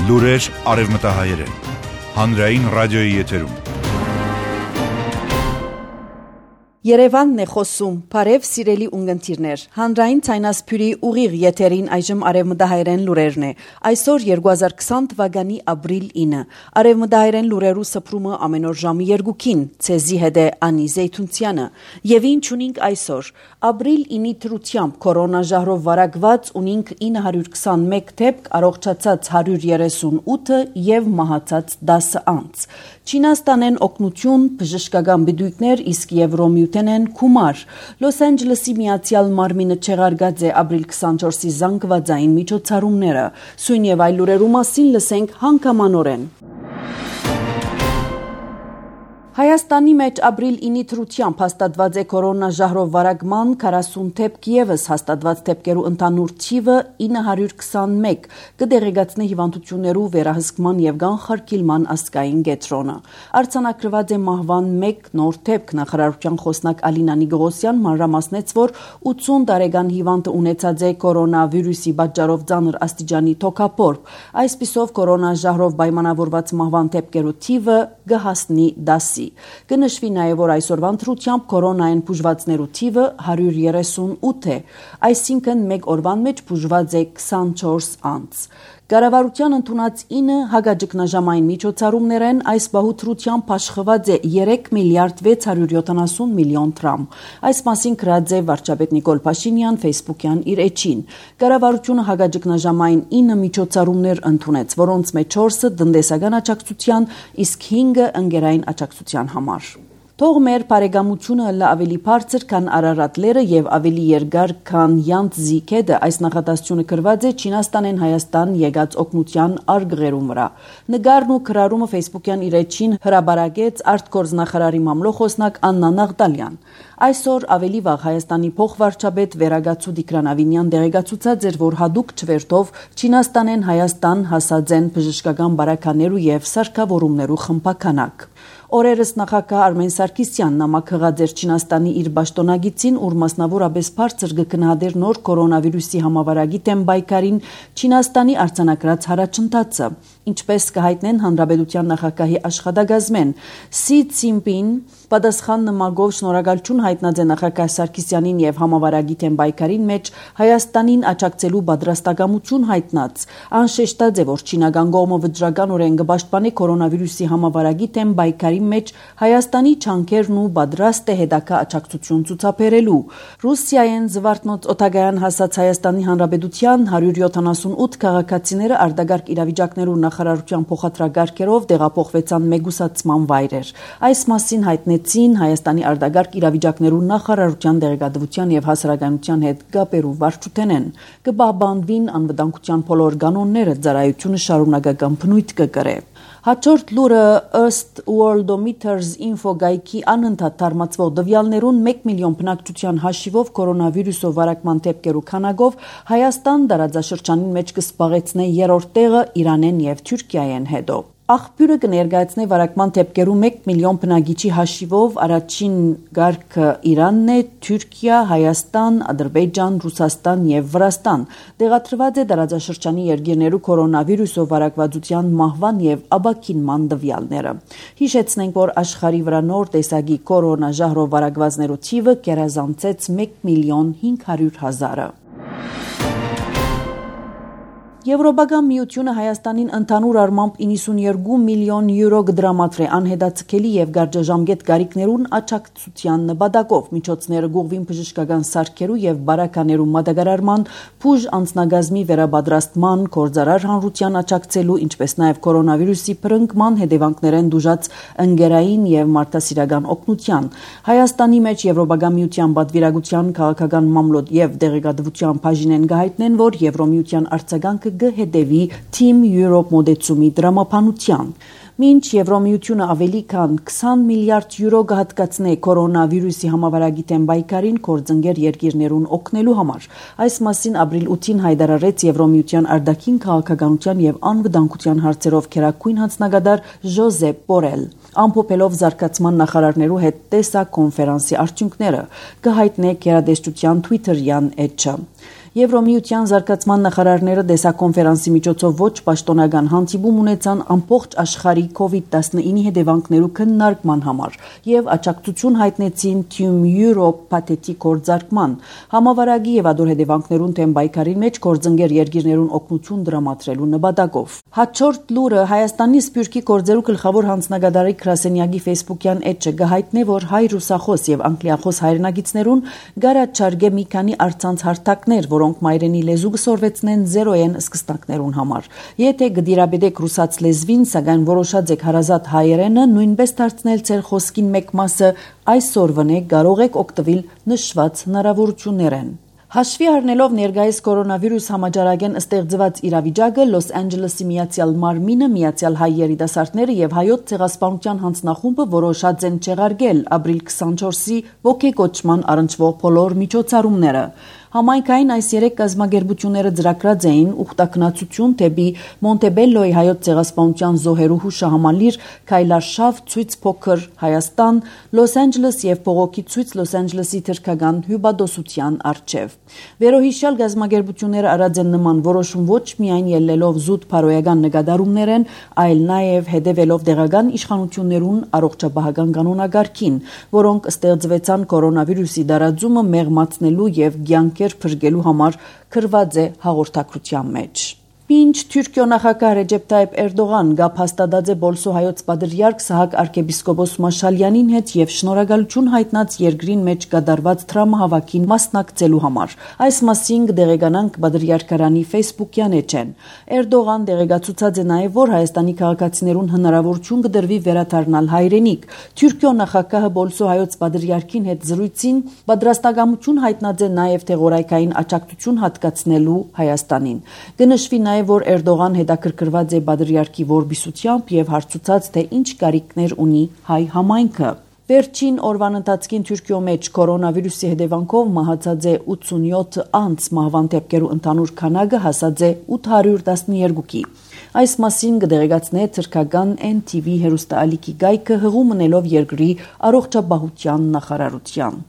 Լուրեր արևմտահայերեն։ Հանրային ռադիոյի եթերում։ Երևանն է խոսում, բարև սիրելի ունգընտիրներ, հանրային ցայնասփյուրի ուղիղ եթերին այժմ արևմտահայերեն լուրերն է, այսօր 2020 թվականի ապրիլ 9, արևմտահայերեն լուրերու սփռումը ամեն օր ժամի 2-ին, ցեզի հետ է Անի Զեյթունցյանը, եւ ինչ ունենք այսօր, ապրիլ 9-ի թրությամբ կորոնաժահրով վարակված ունենք 921 դեպք, առողջացած 138 եւ մահացած 10 անձ, Չինաստանեն օգնություն, բժշկական բժիշկներ, իսկ Եվրոմիութենեն գումար։ Լոս Անջելեսի Միացյալ Մարմինը չեղարկած է ապրիլ 24-ի զանգվածային միջոցառումները։ Սույն եւ այլ լուրերու մասին լսենք հանգամանորեն։ Հայաստանի մեջ ապրիլ 9-ի թրությամբ հաստատված է կորոնաժահրով վարակման 40 դեպք եւս հաստատված դեպքերու ընդհանուր թիվը 921 կդեղեկացնի հիվանդություններու վերահսկման եւ կանխարգելման ազգային կենտրոնը։ Արձանագրված է մահվան 1 նոր դեպք նախարարության խոսնակ Ալինա Նիգողոսյան մանրամասնեց, որ 80 տարեկան հիվանդը ունեցած է կորոնավիրուսի պատճառով ծանր աստիճանի թոքաբորբ։ Այսպիսով կորոնաժահրով պայմանավորված մահվան դեպքերու թիվը կհասնի 10-ի։ Կնշվի նաև, որ այսօրվա ընտրությամբ կորոնային բուժվածներու թիվը 138 է, այսինքն մեկ օրվան մեջ բուժված է 24 անձ։ Կառավարության ընդունած 9 հագաճգնաժամային միջոցառումներեն այս բահուտրությամբ աշխված է 3 միլիարդ 670 միլիոն դրամ։ Այս մասին գրած է վարչապետ Նիկոլ Փաշինյան Facebook-յան իր էջին։ Կառավարությունը հագաճգնաժամային 9 միջոցառումներ ընդունեց, որոնց մեջ 4-ը տնտեսական աջակցության, իսկ 5-ը ընկերային աջակցության համար։ Թող մեր բարեկամությունը լա ավելի բարձր, քան Արարատ լերը եւ ավելի երկար, քան Յանտզի քեդը, այս նախադասությունը գրված է Չինաստանեն Հայաստան եկած օգնության արգղերում վրա։ Նկարն ու գրառումը Facebook-յան իր էջին հրաբարակեց արտգործնախարարի մամլոխոսնակ Աննա Նաղդալյան։ Այսօր ավելի վաղ Հայաստանի փոխվարչապետ Վերագացու Տիգրան Ավինյան դեղեկացուցած էր, որ հadoop չվերթով Չինաստանեն Հայաստան հասած են բժշկական բարականերու եւ սարքավորումներու խմբականակ։ Օրերս նախագահ Արմեն Սարգսյանն նամակղած էր Չինաստանի իր պաշտոնագիծին, ուր մասնավորապես բարձր գկնահատեր նոր կորոնավիրուսի համավարակի դեմ պայքարին Չինաստանի արձանագրած հարաճընթացը, ինչպես կհայտնեն Հանրապետության նախագահի աշխատակազմեն Սի Ցինպին պատասխան նամակով շնորհակալություն հայտնած է նախագահ Սարգսյանին եւ համավարակի դեմ պայքարին մեջ Հայաստանին աջակցելու պատրաստակամություն հայտնած, անշեշտած է, որ չինական կողմը վճռականորեն կպաշտպանի կորոնավիրուսի համավարակի դեմ պայքարի մեջ Հայաստանի չանքերն ու պատրաստ է հետագա աջակցություն ցուցաբերելու։ Ռուսիայեն զվարթնոց օտագայան հասած Հայաստանի Հանրապետության 178 քաղաքացիները արտագարկ իրավիճակներու նախարարության փոխադրագարկերով տեղափոխվեցան մեգուսացման վայրեր։ Այս մասին հայտնեցին Հայաստանի արտագարկ իրավիճակներու նախարարության դեղեկատվության եւ հասարակայնության հետ կապերու վարչութենեն։ Կպահպանվին անվտանգության բոլոր կանոնները, ծառայությունը շարունակական բնույթ կկրե։ Հաջորդ լուրը ըստ Worldometers Info գայքի անընդհատ թարմացվող տվյալներուն 1 միլիոն բնակչության հաշիվով կորոնավիրուսով վարակման դեպքերու քանակով Հայաստան տարածաշրջանին մեջ կսպաղեցնե երրորդ տեղը Իրանեն եւ Թուրքիայեն հետո։ Աղբյուրը կներկայացնե վարակման դեպքերու 1 միլիոն բնակիչի հաշիվով առաջին գարկը Իրանն է, Թուրքիա, Հայաստան, Ադրբեջան, Ռուսաստան եւ Վրաստան։ Տեղադրված է տարածաշրջանի երկրներու կորոնավիրուսով վարակվածության մահվան եւ աբակինման տվյալները։ Հիշեցնենք, որ աշխարհի վրա նոր տեսակի կորոնաժահրով վարակվածներու թիվը կերազանցեց 1 միլիոն 500,000-ը։ Եվրոպական միությունը Հայաստանին ընդհանուր առմամբ 92 միլիոն յուրո կդրամատրե անհետաձգելի եւ գարժաժամկետ գարիկներուն աջակցության նպատակով միջոցները գուղվին բժշկական սարքերու եւ բարականերու մատակարարման, բուժ անձնագազմի վերապատրաստման, գործարար հանրության աջակցելու, ինչպես նաեւ կորոնավիրուսի բռնկման հետևանքներեն դժուժած ընկերային եւ մարդասիրական օգնության։ Հայաստանի մեջ Եվրոպական միության պատվիրակության քաղաքական մամլոյ եւ դեղեկատվության բաժինեն գահիտնեն, որ Եվրոմիության արձագանքը կհետևի Team Europe մոդեցումի դրամապանության։ Մինչ Եվրոմիությունը ավելի քան 20 միլիարդ յուրո կհատկացնե կորոնավիրուսի համավարակի դեմ պայքարին գործընկեր երկիրներուն օգնելու համար։ Այս մասին ապրիլ 8-ին հայտարարեց Եվրոմիության արտաքին քաղաքականության եւ անվտանգության հարցերով քերակույն հանձնագետար Ժոզեփ Բորել։ Ամփոփելով զարգացման նախարարներու հետ տեսակ կոնֆերանսի արդյունքները կհայտնե գերատեսչության Twitter-յան էջը։ Եվրոմիության զարգացման նախարարները դեսակոնֆերանսի միջոցով ոչ պաշտոնական հանդիպում ունեցան ամբողջ աշխարհի COVID-19-ի հետևանքներու քննարկման համար եւ աջակցություն հայտնեցին Team Europe փաթեթի կորձարկման համավարակի եւ ադոր հետևանքներուն թեմ պայքարի մեջ կորձընկեր երկիրներուն օգնություն դրամատրելու նպատակով։ Հաջորդ լուրը Հայաստանի Սփյուռքի կորձերու գլխավոր հանձնագետարի Քրասենյակի Facebook-յան էջը գահիտնե, որ հայ ռուսախոս եւ անգլիախոս հայրենագիցներուն գարաչարգե մի քանի առցանց հարթակներ, որոնք մայրենի լեզու կսորվեցնեն զերոյեն սկզբնակներուն համար։ Եթե գդիրաբեդեք ռուսաց լեզվին, սակայն որոշած եք հարազատ հայերենը նույնպես դարձնել ձեր խոսքին մեկ մասը, այսօրվնե կարող եք օգտվել նշված հնարավորություններեն։ Հաշվի առնելով ներկայիս կորոնավիրուս համաճարակեն ստեղծված իրավիճակը, Լոս Անջելեսի Միացյալ Մարմինը, Միացյալ Հայ երիտասարդները եւ հայոց ցեղասպանության հանձնախումբը որոշած են չեղարկել ապրիլ 24-ի ոգեկոչման առնչվող բոլոր միջոցառումները։ Համայնքային այս երեք կազմակերպությունները ծրագրած էին ուխտակնացություն դեպի Մոնտեբելլոյի հայոց ցեղասպանության զոհերու հուշահամալիր քայլարշավ ցույց փոքր Հայաստան, Լոս Անջելես եւ փողոքի ցույց Լոս Անջելեսի թրքական հյուբադոսության արչեւ։ Վերոհիշյալ կազմակերպությունները արած են նման որոշում ոչ միայն ելնելով զուտ փարոյական նկատառումներեն, այլ նաեւ հետևելով դեղական իշխանություններուն առողջապահական կանոնակարգին, որոնք ստեղծվեցան կորոնավիրուսի դարաձումը մեղմացնելու եւ կյանքեր փրկելու համար քրված է հաղորդակցության մեջ։ Մինչ Թուրքիո նախագահ Ռեջեփ Թայիփ Էրդողան գապ հաստատած է Բոլսո հայոց պատրիարք Սահակ arczepiskopos Մաշալյանին հետ եւ շնորհակալություն հայտնած երկրին մեջ կատարված տրամահավաքին մասնակցելու համար։ Այս մասին կդեղեկանանք պատրիարքարանի Facebook-յան էջեն։ Էրդողան դեղեկացուցած է նաեւ, որ Հայաստանի քաղաքացիներուն հնարավորություն կդրվի վերադառնալ հայրենիք։ Թուրքիո նախագահը Բոլսո հայոց պատրիարքին հետ զրույցին պատրաստակամություն հայտնած է նաեւ թեղորայքային աջակցություն հատկացնելու Հայաստանին։ Կնշվի որ Էրդողան հետաքրքրված է պատրիարքի որբիսությամբ եւ հարցուցած թե ինչ կարիքներ ունի հայ համայնքը։ Վերջին օրվան ընթացքին Թուրքիո մեջ կորոնավիրուսի հետևանքով մահացած է 87 անձ, մահվան դեպքերու ընդհանուր քանակը հասած է 812-ի։ Այս մասին կդեղեկացնե թրքական NTV հեռուստաալիքի գայքը հղում մնելով երկրի առողջապահության նախարարության։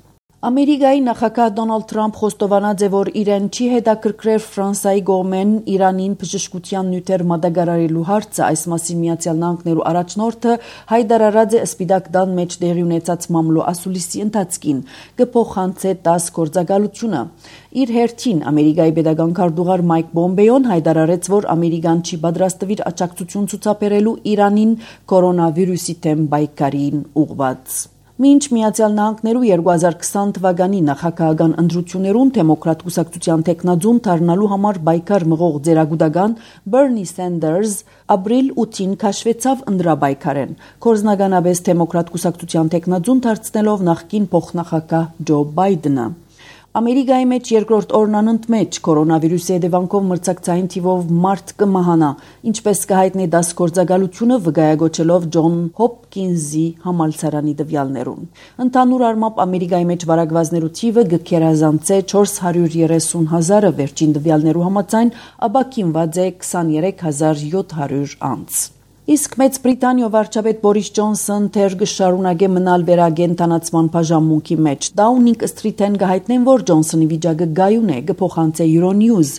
Ամերիկայի նախագահ Դոնալդ Թրամփ խոստովանած է, որ իրեն չի հետաքրքրել Ֆրանսիայի կողմեն Իրանին բժշկության նյութեր մատակարարելու հարցը, այս մասին Միացյալ Նահանգներու առաջնորդը հայտարարած է Սպիտակ տան մեջ տեղի ունեցած մամլո ասուլիսի ընթացքին, կփոխանցե 10 գործակալությունը։ Իր հերթին Ամերիկայի պետական քարտուղար Մայք Պոմպեոն հայտարարեց, որ Ամերիկան չի պատրաստվիր աջակցություն ցուցաբերելու Իրանին կորոնավիրուսի դեմ պայքարին ուղղված։ Մինչ Միացյալ Նահանգներու 2020 թվականի նախագահական ընտրություններուն դեմոկրատ կուսակցության տեխնաձուն դառնալու համար պայքար մղող ձերագուտական Բերնի Սենդերս ապրիլ 8-ին քաշվեցավ ընտրապայքարեն, կորզնականապես դեմոկրատ կուսակցության տեխնաձուն դարձնելով նախկին փոխնախագահ Ջո Բայդենը։ Ամերիկայի մեջ երկրորդ օրն անընդմեջ կորոնավիրուսի հետևանքով մրցակցային թիվով մարդ կմահանա, ինչպես կհայտնի դաս գործակալությունը վկայագոչելով Ջոն Հոփքինզի համալսարանի տվյալներուն։ Ընդհանուր առմամբ Ամերիկայի մեջ վարակվածներու թիվը գքերազանց է 430,000-ը, վերջին տվյալներու համաձայն ապակինված է 23700 անձ։ Իսկ Մեծ Բրիտանիո վարչապետ Բորիս Ջոնսոն թեր կշարունակե մնալ վերագենտանացման բաժանմունքի մեջ։ Դաունինգ Սթրիթեն կհայտնեն, որ Ջոնսոնի վիճակը գայուն է, կփոխանցե Euronews։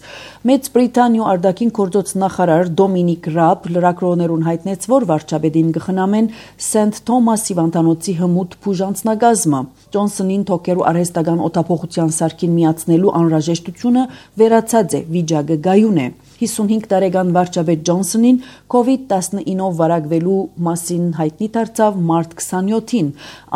Մեծ Բրիտանիո արտաքին գործոց նախարար Դոմինիկ Ռաբ լրագրողներուն հայտնեց, որ վարչապետին կխնամեն Սենթ Թոմաս հիվանդանոցի հմուտ բուժանձնագազմը։ Ջոնսոնին թոքերու արհեստական օտափոխության սարքին միացնելու անհրաժեշտությունը վերացած է, վիճակը գայուն է։ 55 տարեկան վարչապետ Ջոնսոնին COVID-19-ով վարակվելու մասին հայտնի դարձավ մարտ 27-ին։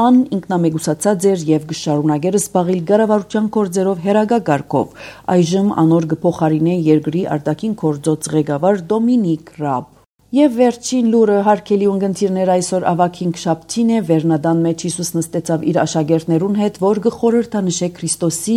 Ան ինքնամեկուսացած էր եւ կշարունակեր զբաղել կառավարության գործերով հերագակարգով։ Այժմ անոր կփոխարինե երկրի արտաքին գործոց ղեկավար Դոմինիկ Ռաբ։ Եվ վերջին լուրը հարկելի ունգընտիրներ այսօր ավագին շաբթին է վերնադան մեջ Հիսուս նստեցավ իր աշակերտներուն հետ, որ գխորհրդանշե Քրիստոսի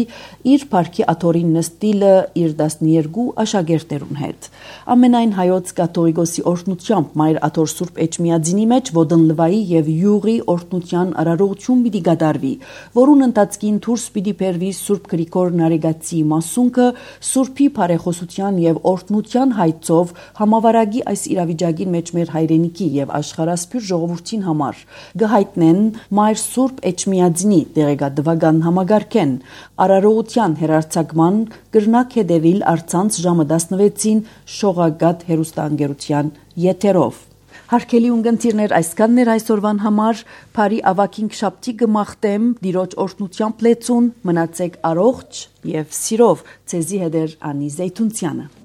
իր парքի աթորին նստիլը իր 12 աշակերտներուն հետ։ Ամենայն հայոց կաթողիկոսի օրհնությամբ Մայր Աթոր Սուրբ Էջմիածինի մեջ ոդնլվայի եւ յուղի օրհնության արարողություն պիտի կատարվի, որուն ընթացքին դուրս պիտի բերվի Սուրբ Գրիգոր Նարեգացի մասունքը Սուրբի բարեխոսության եւ օրհնության հայցով համավարակի այս իրավիճակի վիճակին մեջ մեր հայրենիքի եւ աշխարհասփյուր ժողովրդին համար գհայտնեն Մայր Սուրբ Էջմիածնի դեղեկատվական համագարկեն արարողության հերարցակման կրնակ հետևիլ առցանց ժամը 16-ին Շողակաթ հեռուստաընկերության եթերով։ Հարկելի ունգընտիրներ այսքաններ այսօրվան համար, բարի ավակին շաբթի գմախտեմ, դիրոջ օրհնությամբ լեցուն, մնացեք առողջ եւ սիրով, ցեզի հետ Անի Զեյթունցյանը։